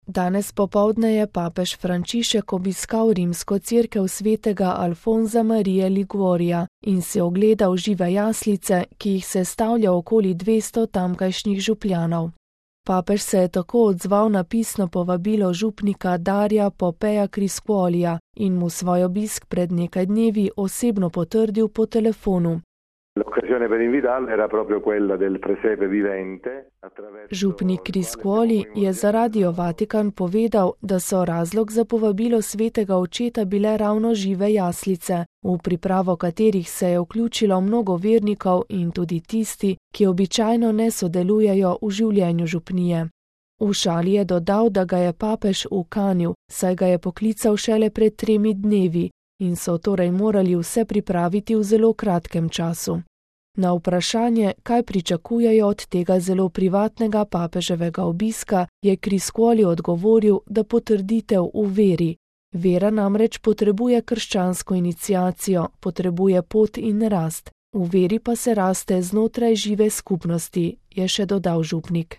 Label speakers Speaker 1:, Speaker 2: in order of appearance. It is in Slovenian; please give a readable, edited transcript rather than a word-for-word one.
Speaker 1: Danes popoldne je papež Frančišek obiskal rimsko cerkev svetega Alfonza Marije Liguorija in si ogledal žive jaslice, ki jih sestavlja okoli 200 tamkajšnjih župljanov. Papež se je tako odzval na pisno povabilo župnika Darija Popeja Criscuolija in mu svoj obisk pred nekaj dnevi osebno potrdil po telefonu. Župnik Criscuoli je za Radio Vatikan povedal, da so razlog za povabilo svetega očeta bile ravno žive jaslice, v pripravo katerih se je vključilo mnogo vernikov in tudi tisti, ki običajno ne sodelujejo v življenju župnije. V šali je dodal, da ga je papež ukanil, saj ga je poklical šele pred 3 dnevi in so torej morali vse pripraviti v zelo kratkem času. Na vprašanje, kaj pričakujejo od tega zelo privatnega papeževega obiska, je Criscuoli odgovoril, da potrditev v veri. Vera namreč potrebuje krščansko iniciacijo, potrebuje pot in rast. V veri pa se raste znotraj žive skupnosti, je še dodal župnik.